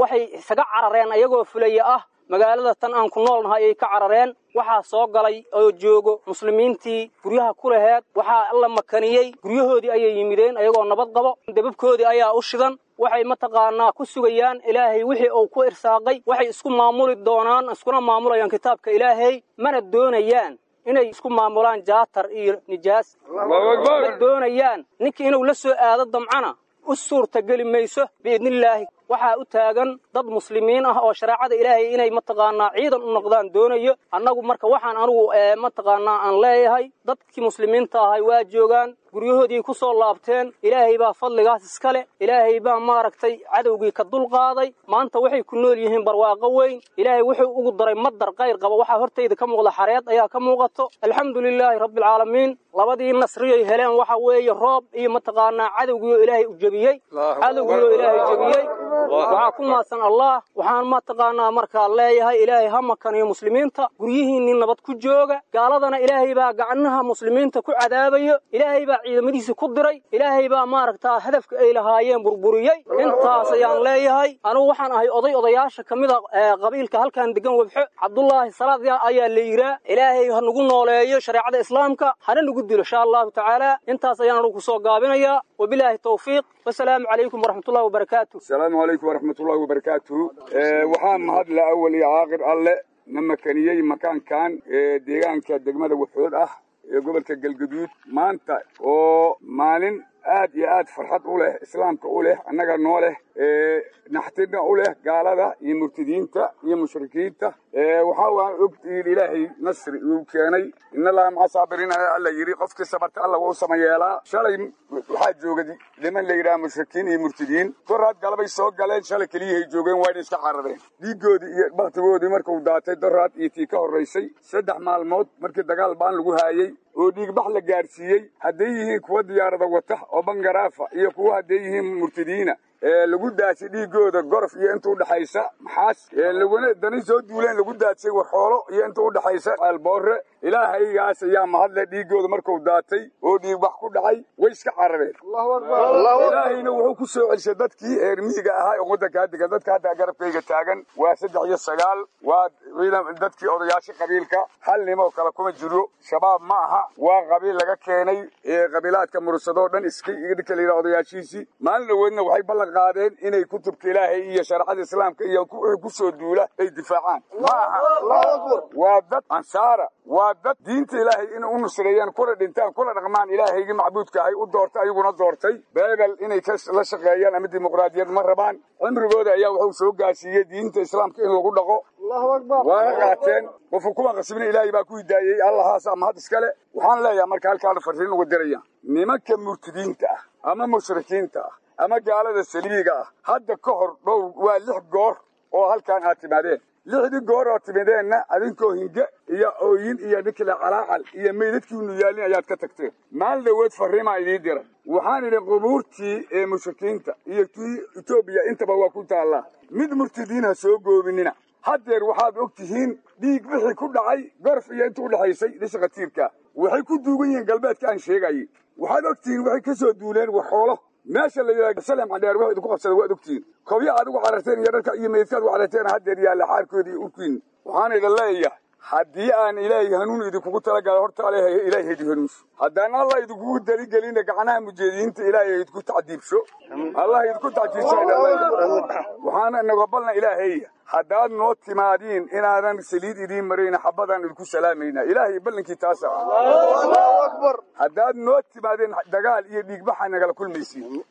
Waxay isaga carareen ayagoo fulaya ah magaalada tan aan ku noolnahay ay ka carareen. Waxaa soo galay oo joogo muslimiintii guryaha ku laheed. Waxaa alla makaniyey guryahoodii ayay yimideen ayagoo nabad qabo, dababkoodii ayaa u shidan. Waxay mataqaanaa ku sugayaan Ilaahay wixii uu ku irsaaqay. Waxay isku maamuli doonaan, iskuna maamulayaan kitaabka Ilaahay, mana doonayaan inay isku maamulaan jaatar iyo nijaas. Ma doonayaan ninkii inuu la soo aado damcana u suurta geli mayso biidnillaahi. Waxaa u taagan dad muslimiin ah oo shareecada Ilaahay inay mataqaanaa ciidan u noqdaan doonayo. Annagu marka waxaan anigu mataqaanaa aan leeyahay dadkii muslimiinta ahay waa joogaan, guryahoodii ku soo laabteen. Ilaahay baa fadligaas iskale, Ilaahay baa maaragtay cadowgii ka dul qaaday. Maanta waxay ku nool yihiin barwaaqo weyn. Ilaahay wuxuu ugu daray madar qayr qaba. Waxaa hortayda ka muuqda xareed ayaa ka muuqato. Alxamdulilaahi rabbil caalamiin. Labadii nasriyay heleen waxa weeye roob iyo mataqaanaa cadowgii oo Ilaahay u jabiyey, cadowgii oo Ilaahay jabiyey. Waxaa ku mahadsan Allah. Waxaan mataqaanaa markaa leeyahay Ilaahay ha makaniyo muslimiinta, guryihiinni nabad ku jooga. Gaaladana Ilaahay baa gacnaha muslimiinta ku cadaabayo, Ilaahay baa ciidamadiisa ku diray, Ilaahay baa maaragtaa hadafka ay lahaayeen burburiyey. Intaas ayaan leeyahay. Anigu waxaan ahay oday odayaasha ka mid ah qabiilka halkan degan Wabxo. Cabdullaahi Salaad ayaa la yiraa. Ilaahay ha nagu nooleeyo shareecada islaamka, hana nagu dilo insha Allahu tacaala. Intaas ayaan anigu kusoo gaabinayaa. Wabilaahi tawfiiq, wasalaamu calaykum waraxmatullahi wabarakaatu. Asalaamu calaykum waraxmatullahi wabarakaatu. Waxaa mahadla awal iyo caaqir alle na makaniyey makaankan ee deegaanka degmada Wabxood ah ee gobolka Galgaduud. Maanta oo maalin aad iyo aad farxad u leh, islaamka u leh, annaga noo leh, naxtina u leh gaalada iyo murtadiinta iyo mushrikiinta. Waxaa waan ogtihiin Ilaahay nasri uu keenay. In allaha maca saabiriin alla yidhi, qofkii sabarta alla waa u samayeelaa. Shalay waxaa jooga niman la yidhaha mushrikiin iyo murtadiin. Doraad galabay soo galeen, shalay keliyahay joogeen, waayna iska carareen. Dhiiggoodii iyo baktigoodii markuu daatay doraad iyo tii ka horraysay 3 maalmood markii dagaal baan lagu haayey oo dhiigbax la gaarsiiyey, hadday yihiin kuwa diyaarada wata oo bangaraafa iyo kuwa hadday yihiin murtadiina lagu daasay dhiigooda gorof iyo inta u dhaxaysa maxaas, laguna dani soo duuleen lagu daadsay warxoolo iyo inta u dhaxaysa alboore. Ilaahaygaas ayaa mahadle. Dhiigooda markuu daatay oo dhiigbax ku dhacay way iska carareen. Ilaahayna wuxuu ku soo celisay dadkii reer miyiga ahaa ee waddankaa degan. Dadka hadda garabkayga taagan waa 3 iyo 9, waa dadkii odayaasha qabiilka. Hal nimoo kale kuma jiro, shabaab ma aha, waa qabiil laga keenay qabiilaadka mursadoo dhan iska ninka la yidhaha odayaashiisii. Maalin dhaweedna waxay ballan qaadeen inay kutubka Ilaahay iyo shareecada islaamka iyo wixii ku soo duula ay difaacaan. Ma aha, waa dad ansaara, waa dad diinta Ilaahay inay u nusreeyaan, kuna dhintaan, kuna dhaqmaan Ilaahaygii macbuudka ahay u doortay, ayaguna doortay. Beebel inay la shaqeeyaan ama dimuqraadiyad ma rabaan. Cimrigooda ayaa wuxuu soo gaarsiiyey diinta islaamka in lagu dhaqo, waana qaateen. Qofku kuma qasbina, Ilaahay baa ku hidaayey, Allahaas mahad iskale. Waxaan leeyahay marka halkaan farriin uga diraya nimanka murtadiinta ah ama mushrikiinta ah ama gaalada saliibiga ah. Hadda ka hor dhowr waa 6 goor oo halkaan aad timaadeen. 6dii goor oo timideenna adinkoo hinge iyo ooyin iyo ninkila calaacal iyo meydadkiinu yaalin ayaad ka tagteen. Maalin dhaweed farriimaa idiin diray. Waxaan idhi qubuurtii ee mushrikiinta iyo tii Etoobiya intaba waa ku taallaa, mid murtadiin ha soo goobinina. Haddeer waxaad og tihiin dhiig wixii ku dhacay gorf iyo inta u dhaxaysay dhisha khatiirka. Waxay ku duugan yihiin galbeedka aan sheegayay. Waxaad og tihiin waxay ka soo duuleen waxoolo meesha la yidhaha Salem Cadheer. Wax idinku qabsaday waad ogtihiin. Kobya aad ugu cararteen iyo dharka iyo meydkaad ugu cararteen haddeer yaalla xaarkoodii iyo urkiin. Waxaan idin leeyahay haddii aan Ilaahay hanuun idinkugu talagalay, horta Ilaahay idin hanuunso. Haddaan Allah idinkugu daligelina gacnaha mujeediyiinta Ilaahay idinku tacdiibsho, Allah idinku tacdiibsho. Waxaana inaga balna Ilaahay haddaad noo timaadiin inaadan saliid idiin marayna, xabadaan idinku salaamayna. Ilaahay ballankii taasa. Haddaad noo timaadeen dagaal iyo dhiigbaxa nagala kulmaysiin,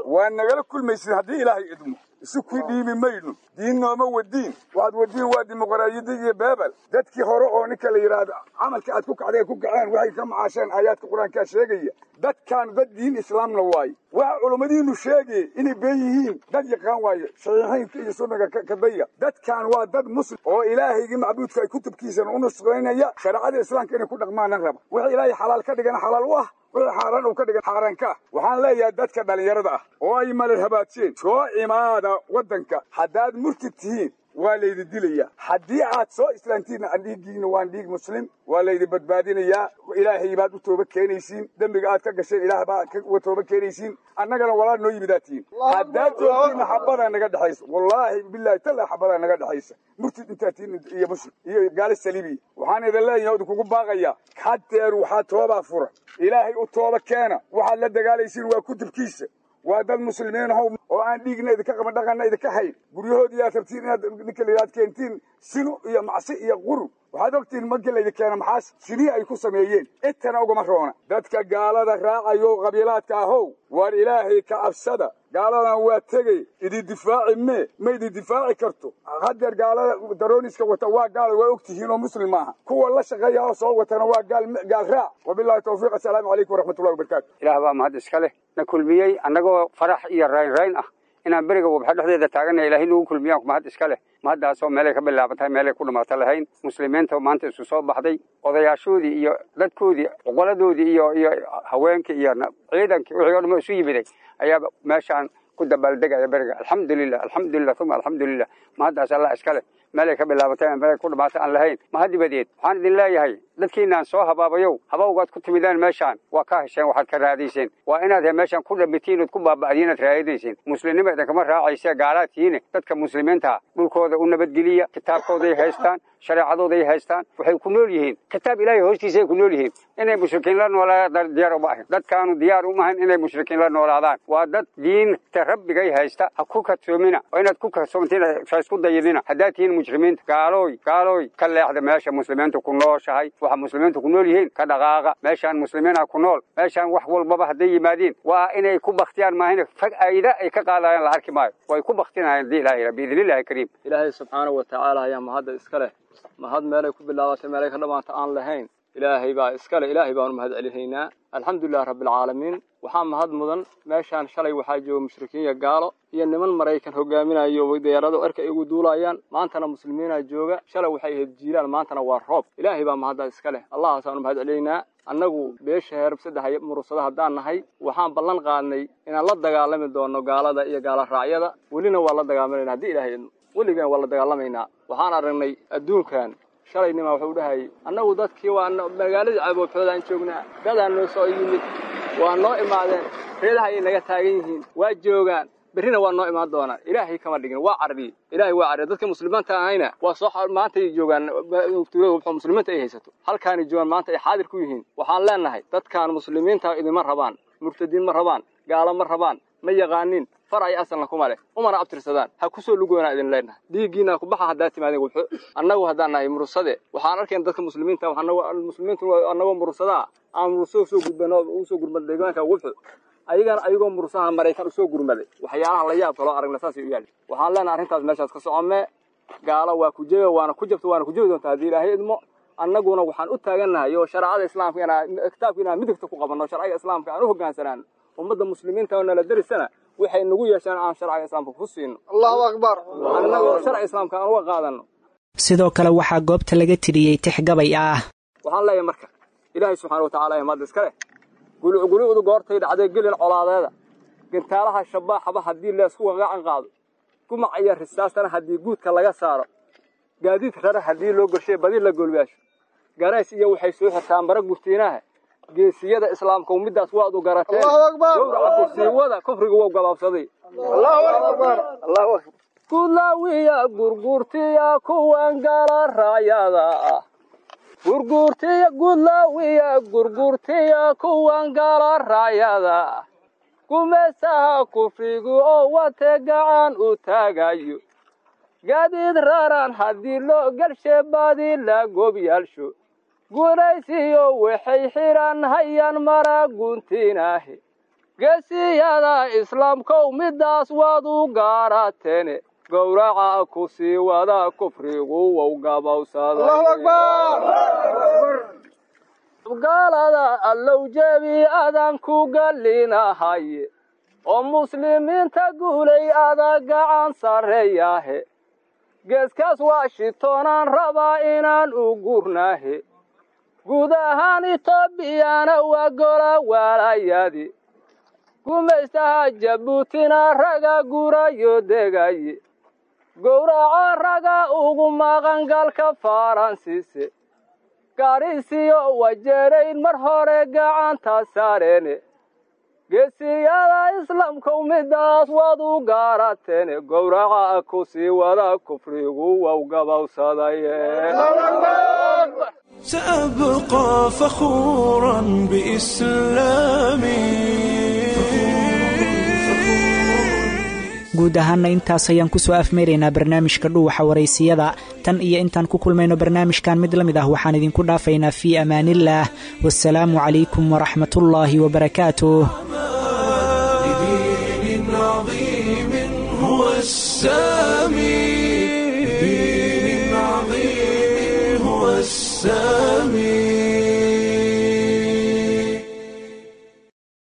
waa nagala kulmaysiin haddii Ilaahay idmo. Isu ku dhiibi mayno, diin nooma wadiin. Waxaad wadiin waa dimuqraadiyadda iyo beebel. Dadkii hore oo ninka la yidhaahdo camalka aad ku kacdeen ku kaceen waxay ka macaasheen aayaadka qur-aankaa sheegaya. Dadkaan dad diin islaamna waaye. Waxa culummadiinu sheegay inay been yihiin dad yaqaan waaye, saxiixaynka iyo sunnaga ka daya. Dadkaan waa dad muslim oo ilaahaygii macbuudka ay kutubkiisana u nusqaynaya, shareecada islaamka inay ku dhaqmaana raba. Wixii ilaahay xalaal ka dhigana xalaal u ah, wixii xaaraan uu ka dhigan xaaraan ka ah. Waxaan leeyahay dadka dhallinyarada ah oo ay malal habaajeen, soo imaada waddanka. Haddaad murtid tihiin waa laydi dilayaa, haddii aad soo islaantiinna dhiiggiina waan dhiig muslim, waa laydi badbaadinayaa. Ilaahay baad u tooba keenaysiin, dembiga aad ka gasheen ilaah baa uga tooba keenaysiin, annagana walaal noo yimidaa tihiin. Haddaad joogtiinna xabadaa naga dhexaysa, wallaahi bilaahi tallaa xabadaa naga dhexaysa, murtid intaad tihiin iyo muslim iyo gaali saliibiya. Waxaan idin leeyahay oo idinkugu baaqayaa, hadeer waxaa toobaa fura, ilaahay u tooba keena. Waxaad la dagaalaysiin waa kutubkiisa, waa dad muslimiin ahow oo aan dhiigna idinka qaban, dhaqanna idinka hayn. Guryahoodii aad rabtiin inaad ninka layidhahad keentiin sino iyo macsi iyo qurun. Waxaad ogtihiin markii laydin keena maxaas sinihii ay ku sameeyeen, intana ugama roona. Dadka gaalada raacayo qabiilaadka ahow, waar ilaahay ka cabsada. Gaaladan waa tegey, idin difaaci mee, ma idin difaaci karto. Haddeer gaalada darooniska wata waa gaal, waa ogtihiin oo muslim maaha. Kuwa la shaqeeya oo soo watana waa gaal, gaal raac. Wabillahi tawfiiq, assalaamu calaykum waraxmatullahi wabarakaatu. Ilaah baa mahad iska leh na kulmiyey annagoo farax iyo raynrayn ah inaan beriga wabxa dhexdeeda taaganna. Ilaahay nagu kulmiyaan mahad iska leh, mahaddaasoo meelay ka bilaabantahay meelay ku dhamaata lahayn. Muslimiinta maanta isu soo baxday, odayaashoodii iyo dadkoodii, cuqaladoodii iyo haweenkii iyo ciidankii, wixii o dhan isu yimiday ayaa meeshaan ku dabaaldegaya beriga. Alxamdulilah, alxamdulilah, uma alxamdulilah, mahaddaas allah iska leh, meelay ka bilaabatay meelay ku dhamaata aan lahayn. Mahad dibadeed waxaan idin leeyahay, dadkiinaan soo habaabayow, habawgaad ku timidaan meeshaan waa ka hesheen waxaad ka raadayseen. Waa inaad meeshaan ku dhamitiin ood ku baaba'diin aad raadinayseen. Muslimnima idinkama raacaysa, gaalaad tihiine. Dadka muslimiinta dhulkooda u nabadgeliya, kitaabkooday haystaan, shareecadooday haystaan, waxay ku nool yihiin kitaab ilaahay hoostiisay ku nool yihiin. Inay mushrikiin la noolaadaan diyaar uma ahin, dadkaanu diyaar uma ahin inay mushrikiin la noolaadaan. Waa dad diinta rabbigay haysta, ha ku kadsoomina oo inaad ku kadsoomtiin ha isku dayidina haddaad tihiin mujrimiinta. Gaalooy, gaalooy, ka leexda meesha muslimiintu ku nooshahay, waxa muslimiintu ku nool yihiin ka dhaqaaqa. Meeshaan muslimiina ku nool, meeshaan wax walbaba hadday yimaadiin waa inay ku baktiyaan maahina, fag ayda ay ka qaadayaan la arki maayo, way ku baktinayaan haddii ilaahay biidnillahi kariim. Ilaahay subxaanahu wa tacaala ayaa mahadda iska leh, mahad meelay ku bilaabatay meelay ka dhamaanta aan lahayn. Ilaahay baa iskale, ilaahay baanu mahad celinaynaa. Alxamdulilahi rabbialcaalamiin. Waxaa mahad mudan meeshaan shalay waxaa jooga mushrikiin iyo gaalo iyo niman Maraykan hogaaminayo, diyaarado erka ay ugu duulayaan. Maantana muslimiinaa jooga. Shalay waxay ahayd jiilaal, maantana waa roob. Ilaahay baa mahaddaa iska leh, allahaasaanu mahad celinaynaa. Annagu beesha heerab saddex murursada haddaan nahay, waxaan ballan qaadnay inaan la dagaalami doono gaalada iyo gaala raacyada. Welina waa la dagaalamayna haddii ilaahay idmo, weligaan waa la dagaalamaynaa. Waxaan aragnay adduunkan shalay nimaa wuxuu dhahayay, annagu dadkii waa magaaladii caboobxood aan joognaa, dadaa noo soo yimid, waa noo imaadeen, reedaha ayay naga taagan yihiin, waa joogaan, berrina waa noo imaan doonaan. Ilaahay kama dhigin, waa carriyey, ilaahay waa carriyey. Dadka muslimiinta ahayna waa soo maanta ay joogaan tuulada wuxuu muslimiinta ay haysato, halkaanay joogaan maanta ay xaadir ku yihiin. Waxaan leenahay dadkaan muslimiinta idinma rabaan, murtadiin ma rabaan, gaalo ma rabaan, ma yaqaanin far ay asalna kuma leh, umana abtirsadaan. Ha kusoo lugoonaa idin leenahay, dhiiggiina ku baxa haddaad timaadeen wuxu. Annagu haddaan nahay murursade, waxaan arkayn dadka muslimiinta, muslimiintu annagoo murursadaa aan murursado soo gudbano ugu soo gurmad deegaanka wuxu, ayagana ayagoo mursaha Maraykan usoo gurmaday. Waxyaalaha la yaab kaloo aragna saasay u yaali. Waxaan leenahay arrintaas meeshaas ka socomee, gaalo waa ku jebe, waana ku jabto, waana ku jebi doontaa haddii ilaahay idmo. Annaguna waxaan u taagannahay oo shareecada islaamka inaa kitaabka inaan midigta ku qabanno, sharciga islaamka aan u hogaansanaano, ummadda muslimiinta oo nala derisana waxay nagu yeeshaan aan sharciga islaamka ku siino. Allahu akbar. Annagoo sharciga islaamka aan uga qaadano. Sidoo kale waxaa goobta laga tiriyey tix gabay ah. Waxaan leeyahay marka ilaahay subxaana watacaala ee mahad iska leh, gulucgulucdu goortay dhacday gelin colaadeeda, gantaalaha shabaaxaba haddii leesku gacan qaado, gumac iyo risaastana haddii guudka laga saaro, gaadiid rara haddii loo gorshay badi la goolbaasho, garays iyo waxay soo xirtaan bara gurtiinaha. Geesiyada islaamka middaas waad u garateen, gowraca kursiiwada kufriga wou gabaabsaday. Gudlaawiya gurgurtiya kuwan gala raayada ah, gurgurtiya gudlaawiya gurgurtiya kuwan gala raayada ah, gumaysaha kufrigu oo wate gacan u taagayo, gaadiid raran haddii loo galshe badi la gobyaalsho, guulaysiyo waxay xidhan hayaan mara guntinaahe. Geesiyada islaamkow middaas waad u gaarateene, gowraca ku sii wada kufrigu wow gabowsaday. Gaalada Allow jebi adaan ku gallinahaye, oo muslimiinta guulay ada gacan sarreeyahe. Geeskaas Washingtonaan rabaa inaan u gurnahe, guud ahaan Etoobiyana waa gola waalayadi, gumaystaha Jabuutina raga gurayo degaye, gowraca raga ugu maqangalka Faransiise, Gaarisiyo Wajeerayn mar hore gacanta saareene. Geesiyada Islaamkow, midaas waad u gaarateene, gowraca ku sii wada kufrigu wow gabowsadaye. سأبقى فخورا بإسلامي. Guud ahaana intaas ayaan kusoo afmeeraynaa barnaamijka Dhuuxa Waraysiyada. Tan iyo intaan ku kulmayno barnaamijkan mid la mid ah, waxaan idinku dhaafaynaa fii amaaniillaah, wasalaamu calaykum waraxmatullaahi wabarakaatuh. لدين عظيم هو السامي، لدين عظيم هو السامي.